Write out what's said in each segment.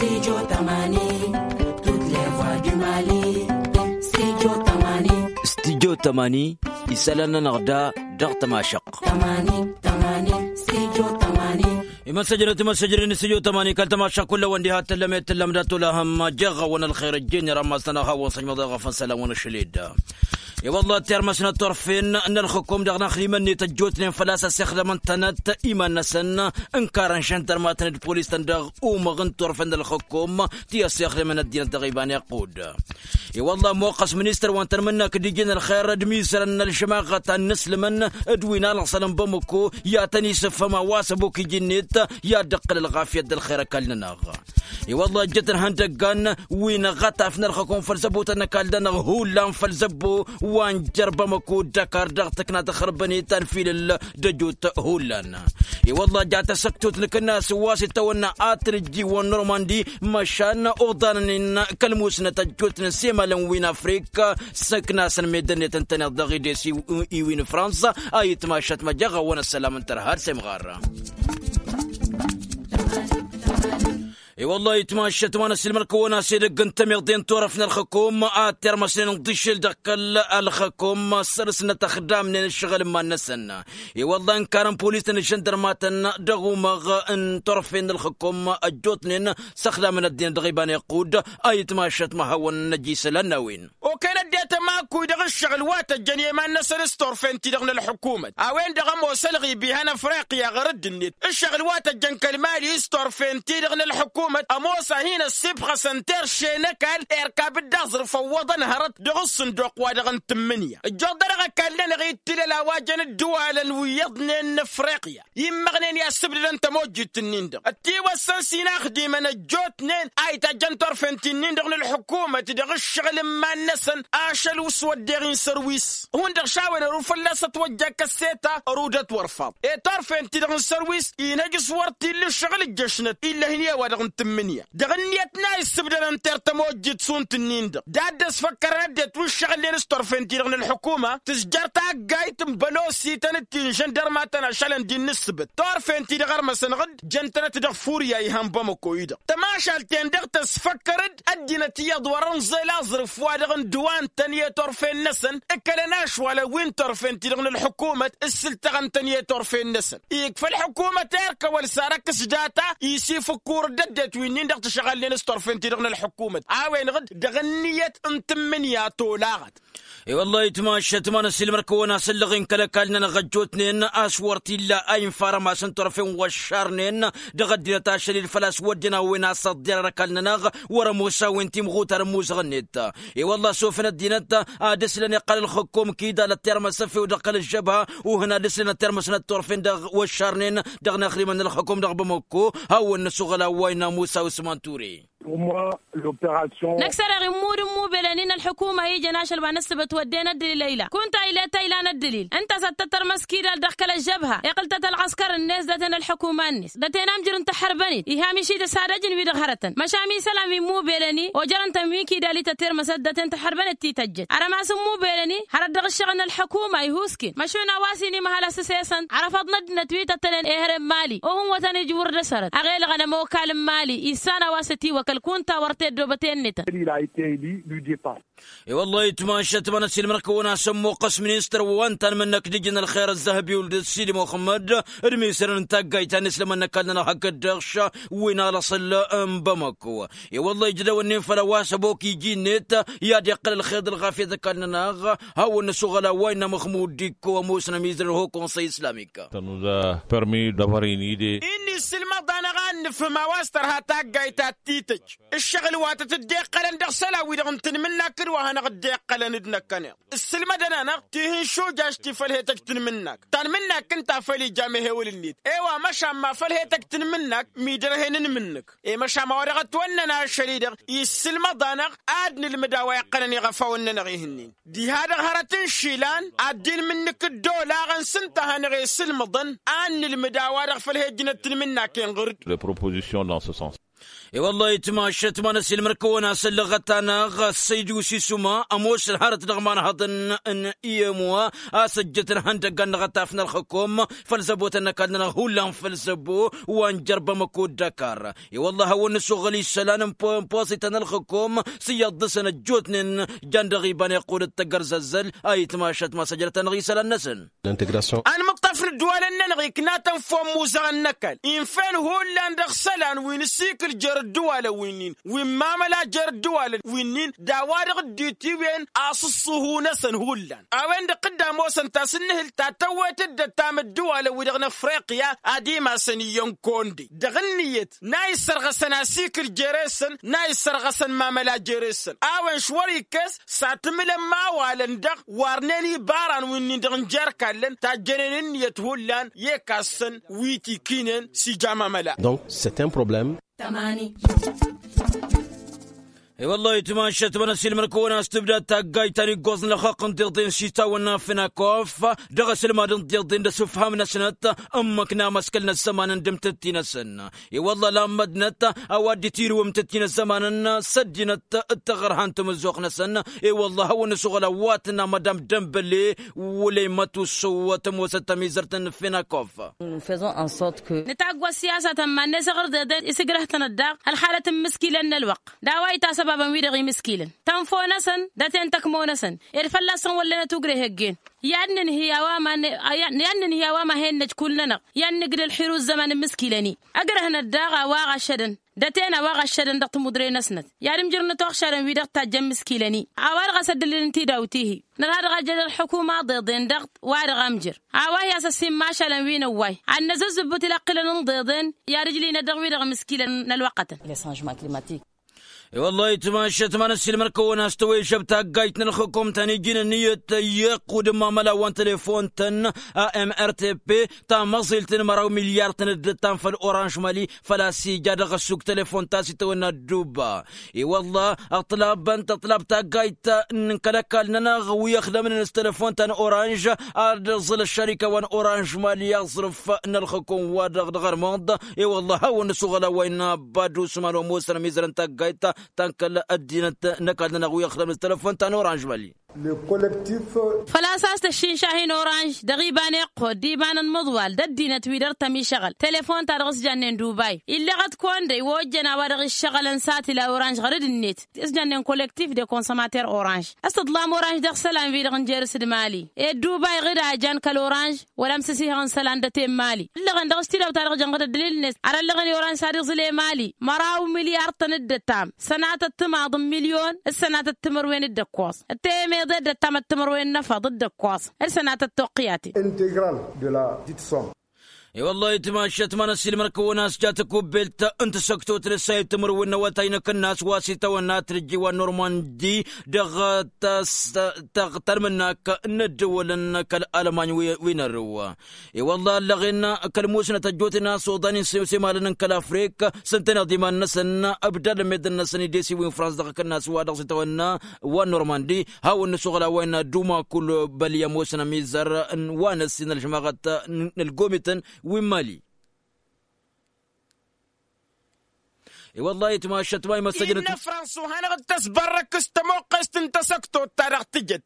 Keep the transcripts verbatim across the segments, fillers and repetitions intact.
Studio tămani. Studyo tămani. Isălan-nănăɣ da dăɣ-tămašăqq. Tămani. Tămani. Studyo tămani. Imăssăjrăt imăssăjrăt n-studyo tămani kăl-tămašăqq kull-awăn diha tǝllăm i-tǝllăm dat-olăhăm jeɣ-awăn ălxer ǝjjǝn irammas-nănăɣ hawăn-săjmăḍ i-ɣăfăn isălan-wăn ašăl i-dd. I-wălla tirmăs n-ăṭṭorfen n-ălxǝkum dăɣ-inaxdimăn-net ăjjootnen făl-a-s ăssixdămăn-tănăt iman-năsăn ǝnkarăn šăndărmatăn d-polis-tăn dăɣ-umăɣ n-turfen n-ălxǝkum ti ăssixdămăn ăddinăt dăɣ-iban iqqud. I-wălla ămmoqqăs ministăr wa n-tanmǝnnakt d-iji n-ălxer d-imizărăn n-ălžămaɣăt a ǝnnǝslǝmăn d-wi n-alăṣălăn bamăko i-ad-tăn-isǝfhǝm a-wa s-ăbok iji-net i-ad-dd-ǝqqǝl ălɣafyăt d-ălxer ăkall-nănăɣ. I-wălla ăjjătăn ihăndăggan wi n-aɣătaf n-ălxǝkum făll-zăbotăn n-ăkall-nănăɣ hullan făll-zăbbo wa n-jer-bamăko d-ăkar dăɣ-tǝkna tăxrǝbăn-i ta n-filǝl d-ăjut hullan. I-wălla ja tasăktut n-akǝnnas wa s-itawănna ad-tǝnǝjji wa n-normandi măšan oḍanăn-in kăl-musnăt ăjjootnen s-emalăn wi n-afrik s-akǝnasăn meddǝn-net ǝntăneḍ dăɣ-ides iwi n-fransa a itmašăt măjeɣ-awăn ăssălam n-tărha d-semɣar. I-wălla itmašăt wa n-ăssiilmăr-kăwăn-as edăgg n-tămiḍe n-turăft n-ălxǝkum ad-tirmăsnen ǝnḍǝššǝl dăɣ-kăl-ălxǝkum săr-snăt ăxdamnen ǝššăɣǝl n-iman-năsăn. I-wălla ǝnkarăn polis-tăn d-žăndărmatăn dăɣ-umăɣ n-turfen n-ălxǝkum ăjjootnen s-ăxdamăn ăddinăt dăɣ-iba n-iqqud a itmašăt ma hawăn-năj isălan n-a-wen. Okăyăn ăddinăt ămakuy dăɣ-ǝššăɣǝl wa tăjjăn i-iman-năsăn s-turfen-ti-dăɣ n-ălḥǝkumăt a-wen-dăɣ ămoos ălɣib ihăn ăfriqya ɣur-dd-net ǝššăɣǝl wa tăjjăn kăl-mali s-turfen-ti-dăɣ n-ălḥǝkumăt ămoos a hin-ăssibxăsăn terše n-ăkall irkab-dd aẓrǝf ăwwăḍăn hărăt dăɣ-ǝssǝnduq-wa-dăɣ n-tǝmmǝnǝya. Ǝjjuḍ-dăɣ ăkall-nănăɣ ittǝlăl a-wa jăn ǝddǝwalăn wi iyyăḍnen n-ăfriqya immăɣnen i-assǝbdădăn tămojjit-ǝnnin-dăɣ ătiwăssăn s-inaxdimăn ăjjootnen a itajjăn turfen-ti-nin-dăɣ n-ălḥǝkumăt dăɣ-ǝššăɣǝl n-iman-năsăn ašăl s-wădden-in sărwis hundăɣ šawăn ăruf fălla-s ătwăjja kăsseta. Ărudăt wăr faḍ i-turfen-ti-dăɣ n-sărwis inhăj s-wăr t-illa ǝššăɣǝl ǝjjăšnăt illăh-in i-a-wa-dăɣ n-tǝmmǝnǝya dăɣ-ǝnniyăt n-a issǝbdădăn tertămojjit šund-ǝnnin-dăɣ d-ad-dd-ăsfăkkărăn ăddinăt wi ǝššăɣǝlnen s-turfen-ti-dăɣ n-ălḥukuma tǝzjăr taggayt n-bălosităn d-ti n-žăndărmatăn ašălăn d-innǝssǝbǝt turfen-ti-dăɣ ărmăsăn ɣǝd jăn-tănăt dăɣ-furya ihăn bămăko-i-dăɣ tămašalt-en-dăɣ tăsfăkkăr-dd ăddinăt iyyăḍ wăr-ănẓel aẓrǝf wa dăɣ-ǝndǝwan-tăn i-turfen-năsăn ǝkkălăn ašwalăn wi n-turfen-ti-dăɣ n-ălḥukumăt ǝssǝltăɣăn-tăn i-turfen-năsăn ikfa ălḥukumăt erk ăwăl sarăk s-data isifǝkkur-dd ăddinăt wi-nin-dăɣ tǝšɣalnen s-turfen-ti-dăɣ n-ălḥukumăt a-wen-dăɣ dd-dăɣ-ǝnniyăt n-tǝmmǝnǝya tolaɣăt. I-wăllah itmašăt ma n-ăssiilmăr-kăwăn-asăllăɣ-in kăl-ăkall-nănăɣ ăjjootnen a-s wăr t-illa a infa arămas n-turăfen wăššarnen dăɣ-ăddinăt ašăl-i d-făl-a-s wădden a-wen a-s ăḍḍerăr ăkall-nănăɣ wăr-ămoos a-wen timɣutar n-imuzăɣ-net. I-wăllah s-ofăn ăddinăt ad-ǝslăn iqqăl ălxǝkkum kidal ăttirmăs ăfew dăɣ-kăl-ăžžăbha uhǝn ad-ǝslăn ăttirmăsnăt turfen dăɣ-wăššarnen dăɣ-inaxdimăn n-ălxǝkkum dăɣ-bamăkko. Hawăn-năsuɣăl a-wa innă musa usman ture. Năksăreɣ immud n-imubelăn-in ălḥukuma ijăn ašăl wa n-ǝssǝbăt wădden ăddǝlil a ila kunta ilet a ilan ăddǝlil ǝnta a-s ad-tăt-tărmăs kidal dăɣ-kăl-ăžžăbha iqqǝl-tăt ălɣăskăr-net daten ălḥukuma-net daten amjǝr n-taḥărbănit iha miši d-ăsadăjăn wi-dăɣ hărătăn măšan isălan wi n-imubelăn-i ojărăn-tăn wi n-kidal-i tătirmăsăt daten taḥărbănit ti tăjjăt arămas n-imubelăn-i hărăt dăɣ-ǝššăɣǝl n-ălḥukuma ihusken măšan a-wa s-inimăhăl asǝsesăn ărăfăḍ n-ăddinăt wi tăttănen ehăre n-mali ohǝn-wătăn ijwǝr dăr-sărăt ăɣelăɣăn ămokal n-mali issan a-wa s-ătiwăkăl kunta wăr t-ăddoobăt i-ănnităn. I-wăllah itmašăt ma n-ăssiilmăr-kăwăn-asămmuqqăs ministăr wa n-tanmǝnnăk d-ijǝn ălxer ăzzăhăb iwǝl d-sidi muxămmăd d-misărăn n-taggayt ta n-islămăn n-ăkall-nănăɣ hakd-dăɣ wi n-alăṣăl n-bamăko. I-wăllah ijădăwăn-in făll-a-wa s-ăbok iji-net i-ad-iqqăl ălxer d-ălɣafyăt ăkall-nănăɣ hawăn-năsuɣăl a-wa innă măxmud dikko ămoosnăm izrăn ho-konsăy islamik. Tănnuza permi dăbărini de. Innă issǝlmăḍ-anăɣ ad-nǝfhǝm a-wa s-tărha taggayt ta t-tităj ǝššăɣǝl wa tăt-dd-iqqălăn dăɣ-isălan-wi-dăɣ n-tanmǝnnak d-wa hanăɣ-dd-iqqălăn d-năkkăneḍ ǝssǝlmădăn-anăɣ tihǝnšujaš ti făll-he-tăj tanmǝnnak tanmǝnnak ǝnta a făl ija amehewăl-net. I-wa măšan ma făll-he-tăj tanmǝnnak midărhen n-imǝnnǝk i-măšan ma wa dăɣ-ătwănnăn ašăl-i-dăɣ issǝlmăḍ-anăɣ ad-nǝlmǝd a-wa iqqălăn iɣăfawăn-nănăɣ ihǝnnin diha-dăɣ hărăt n-išilan ad-dd-inmǝnnǝk d-olaɣăn s-ǝnta a hanăɣ-esǝlmăḍăn ad-nǝlmǝd a-wa-dăɣ făll-he-ǝjnăt tanmǝnnak-en ɣur-dd. Les propositions dans ce sens. I-wăllah itmašăt ma n-ăsilmăr-kăwăn a-s ăllăɣăt-anăɣ ăssăydu s-isuma ămoosăn hărăt dăɣ-imanhăḍăn n-i ămoa a-s ăjjăt ălhăndăgga n-inăɣătaf n-ălxăkom făll-zăbotăn n-ăkall-nănăɣ hullan făll-zăbo wa n-jărbăm ăkod d-ăkar. I-wăllah a hawăn-nǝsuɣǝl isălan n-posităn ălxăkom s-iyyăḍ dăɣ-săn ăjjootnen jan dăɣ-iba n-iqqud d-tăggărzăzzăl a itmašăt ma s-ăjrăt-anăɣ isălan-năsăn. Ănmǝṭṭaf n-ăddǝwalăn-nănăɣ ikna-tăn făw n-imuzăɣăn n-ăkall infel hullan dăɣ-isălan wi n-asikǝl jer-ăddǝwalăn winnin wi n-mamăla jer-ăddǝwalăn winnin d-a-wa-dăɣ dd-itiwen asǝṣṣuhu-năsăn hullan a-wen-dăɣ dd-ămoosăn tasǝnnǝhǝlt ta tăwwet dd-ăttam ăddǝwalăn-wi-dăɣ n-afriqya ad-imasăn iyyăn konde dăɣ-ǝnniyăt n-a issărɣăsăn asikǝl jere-săn n-a issărɣăsăn mamăla jere-săn a-wen š-wăr-ikkes s-ad-tǝmǝlăn imawalăn-dăɣ warnen ibaran winnin-dăɣ n-jer-kallăn tajjănen ǝnniyăt hullan i-ekassăn wi t-ikinen s-ija mamăla. Donc c'est un problème. I-wăllah itmašăt ma n-ăsilmăr-kăwăn a-s tǝbdad taggayt ta n-iggoẓ n-ălxaqq n-tiḍen s-itawănna fănakof dăɣ-asǝlmad n-tiḍen d-asǝfham-năsnăt ǝmmǝk n-amăskăl n-ăzzăman n-dăm tǝtti-năsăn. I-wăllah lammădnăt a-wa dd-itirǝwăm tǝtti n-ăzzămanăn s-ăddinăt d-taɣărha n-tamǝzzuɣt-năsăn. I-wăllah a hawăn-nǝsuɣǝl a-wa tǝnna madam dămbăle wăla imătussǝw tămoosăt tămizărt n-fănakof. Nǝtagg wa s-siyasatăn iman-net aɣrǝdeḍen isǝgrăh-tăn ăddaɣ ălxalăt n-imǝskilăn n-ălwăqq d-a-wa itasăbabăn wi-dăɣ imǝskilăn tănfo-năsăn d-aten tăkmo-năsăn ed fălla-săn wăllănăt ugreh ăggeen. I-ad-nǝnhǝy a-wa ma n-hen-năj kull-nănăɣ i-ad-nǝgdăl xiru ăzzăman n-imǝskilăn-i ăgrăhnăt daɣ a-wa ɣašădăn d-aten a-wa ɣašădăn dăɣ-timudre-năsnăt i-ad-imjǝrnăt uɣšadăn wi-dăɣ tajjăn imǝskilăn-i. A-wa-dăɣ a-s ăddălilăn tidawt-ihi nărha dăɣ-ajjăd ălxukuma ḍeḍen dăɣ-wa-dăɣ amjăr a-wa hi-asăssin mašalăn wi n-ăwway ad-năzăzzǝbbǝt ilăqqilăn n-ḍeḍen i-ad-ǝjlinăt dăɣ-wi-dăɣ imǝskilăn n-ălwăqqătăn. I-wăllah itmašăt ma n-ăssiilmăr-kăwăn a-s tăwejăb taggayt n-ălxukum ta n-iji n-ǝnniyăt i-iqqud n-imamăla wa n-telefon-tăn a m r t p tamăẓilt n-măraw milyar-tăn dd-ǝttam făll-oranž mali făl-a-s ija dăɣ-ăssuk telefon ta s-itawănna ădduba. I-wălla ăṭṭlabăn tăṭṭlab taggayt n-kăl-ăkall-nănăɣ wi ăxdămnen s-telefon ta n-oranž ad-ăẓẓǝl ăššărika wa n-oranž mali aẓrǝf n-ălxǝkum-wa-dăɣ dăɣ-ărmăḍ. I-wălla a hawăn-nǝsuɣăl a-wa innă badus ma n-omusăn ămizărăn taggayt ta n-kăl-ăddinăt n-ăkall-nănăɣ wi ăxdămnen s-telefon ta n-oranž mali. Făl-a-s a-s tăššinšahi n-oranž dăɣ-iba n-iqqud d-iba n-ănmăḍwal d-ăddinăt wi dăr-tăm išăɣăl telefon-ta-dăɣ s-jannen dubay illăɣăt kăwăn-dăy wa ojjăn a-wa dăɣ-iššăɣălăn satila oranž ɣăr-dd-net s-jannen kollektif de konsămater oranž. S-tǝḍlam oranž dăɣ-isălan-wi-dăɣ n-jer-s d-mali ed dubay ɣǝd a jan kăl-oranž wăla amsǝsihăɣ n-isălan d-ăte n-mali ǝllăɣăn dăɣ-s tidawt-ta-dăɣ jăn ɣǝd ăddălil-net ar ăllăɣăn i-oranž s-ad-iẓǝl i-mali măraw milyar-tăn dd-ăttam sănatăt timaḍ n-milyon d-sănatăt timărwen d-ǝkkoẓ d-temeḍe dd-ăttam ăttămărwen n-efăḍ d-ǝkkoẓ d-sănatăt toqqǝyaten. Integral de la dite som. I-wăllah itmašăt ma n-ăssiilmăr-kăwăn a-s ja tăkubbelt n-tasăktot n-ǝssayăt timărwen n-awătay n-akǝnnas wa s-itawănna tǝrǝjji wa n-normandi dăɣ-tălmǝnnak n-ăddăwălăn kăl-almany wi n-ărrǝw. I-wălla ăllăɣen kăl-musnăt ăjjootnen a-s oḍan insew s-emalăn n-kăl-afrik s-ǝntăneḍ iman-năsăn ǝbdadăn meddǝn-năsăn idesiwin frans dăɣ-akǝnnas wa dăɣ-s itawănna wa n-normandi. Hawăn-nǝsuɣǝl a-wa innă duma kull băli ămoosăn ămizăr wa n-ăssin ălžămaɣăt n-ălgomităn wi n-mali. I-wăllah itmašăt ma imăssăjnăt innă frans u-hanăɣ-dd-tăsbărrăk s-tămoqqest n-tasăktot-ta-dăɣ tǝjăt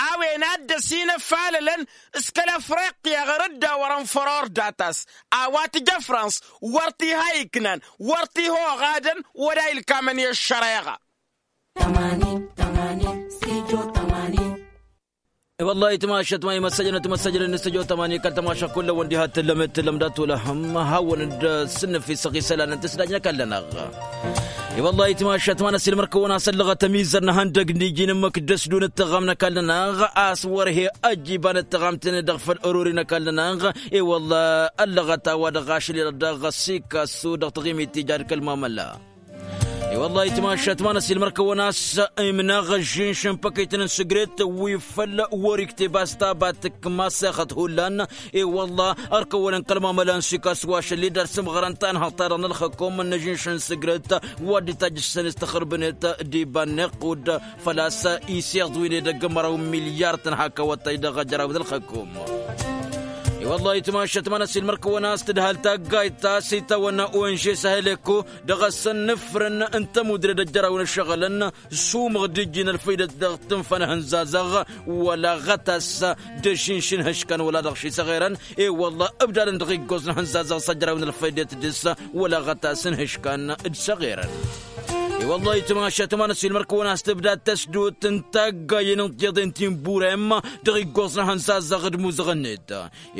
a-wen a dd-ăsinăfalălăn s-kăl-afriqya ɣăr dd-awărăn făror data-s a-wa tǝja frans wăr t-iha iknan wăr t-iha oɣadăn wăla ilkamăn i-ăššăreɣa. I-wăllah itmašăt ma imăssăjnăt imăssăjnăt n-stujo tămani kăl-tămaša kull-ăwwăn diha tǝllăm d-tǝllăm dat-olăhăm hawăn-dd-sǝnnǝfisăɣ isălan n-tǝsdaj n-ăkall-nănăɣ. I-wăllah itmašăt ma n-ăsilmăr-kăwăn a-s ăllăɣăt ămizăr n-ihăndăg n-iji n-ǝmmǝk dd-ăsdun d-tăɣam n-ăkall-nănăɣ a-s wăr he-ăjj iba n-ăttăɣamten dăɣ-făll-ărori n-ăkall-nănăɣ. I-wăllah ăllăɣăt a-wa dăɣ-ašlilăt dăɣ-ăssikassu dăɣ-taɣimit tija d-kăl-mamăla. I-wăllah itmašăt ma n-ăsilmăr-kăwăn a-s imnaɣ ăžžinš n-păkităn n-sigret wi făll-wăr-ikteb a-s taba tǝkk masexăt hullan. I-wăllah ărkăwălăn kăl-mamăla n-sikas wa šăl-i d-ad-sǝmɣărăn tanhăḍt-ta-dăɣ n-ălxăkom n-ăžžinš n-sigret wa dd-itajjǝssăn s-tăxrǝbnet d-iba n-iqqud făl-a-s iseḍ wi n-edăgg n-măraw n-milyar-tăn hak awătay dăɣ-ajăraw d-ălxăkom. I-wăllah itmašăt ma n-ăsilmăr-kăwăn a-s tǝdhal taggayt ta s-itawănna onže săhăleko dăɣ-ăssăn n-ifrǝn n-tămudre d-ăjjărawăn ǝššăɣǝlăn. Sumăɣ d-ijjin ălfăydet dăɣ-tǝnfa n-ehănzazăɣ wăla ɣătas d-ašǝnš n-ihǝškan wăla dăɣ-ši săɣerăn. I-wăllah ǝbdadăn dăɣ-iggoẓ n-ehănzazăɣ s-ăjrawăn ălfăydet dăɣ-s wăla ɣătas n-ihǝškan d-săɣerăn. I-wăllah itmašăt ma n-ăsilmăr-kăwăn a-s tǝbdad tăsdut n-taggayen n-tiḍen ti n-burem dăɣ-iggoẓ n-ehănzazăɣ d-imuzăɣ-net.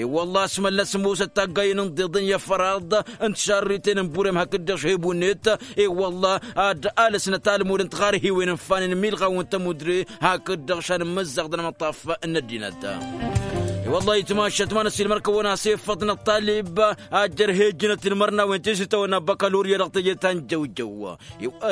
I-wălla a-s mălnăs musăt taggayen n-iḍeḍen i-afăraḍ n-tišarriten n-burem hakd-dăɣ šhebunnet. I-wălla ad-alăsnăt almud n-tiɣarhiwen n-fanen milɣaw n-tămudre hakd-dăɣ šan n-imǝzzaɣ d-anămăṭṭaf n-ăddinăt. I-wălla itmašăt ma n-ăsilmăr-kăwăn a-s iffăḍ n-ăṭṭalib a jărhejjănăt inmărnawen ti s-itawănna băkălurya dăɣ-teje ta n-jăwjăw.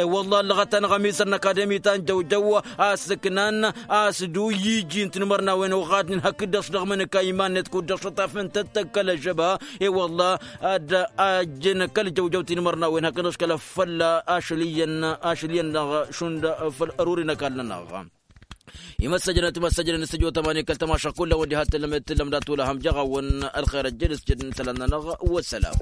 I-wălla ăllăɣăt-anăɣ ămisăr n-akademi ta n-jăwjăw a-s ǝknan a-s dd-uyyiji n-tinmărnawen oɣadnen hakd-dăɣ s-dăɣ-mănǝka iman-net kud-dăɣ šăṭaf n-tăttăg kăl-ăžžăba. I-wălla ad-ajjăn kăl-jăwjăw tinmărnawen hakd-dăɣ s-kăl-ăffălla ašăl iyyăn ašăl iyyăn-dăɣ šund făll-ăruri n-ăkall-nănăɣ. Imăssăjnăt imăssăjnăt n-săjo tămani kăl-tămašăɣ kull-a-wen diha t-tǝllăm d-tǝllăm dat-wăla ham jaɣ-a-wen ălxer ăjjed s-jed n-isălan-nănăɣ. Wăssălam.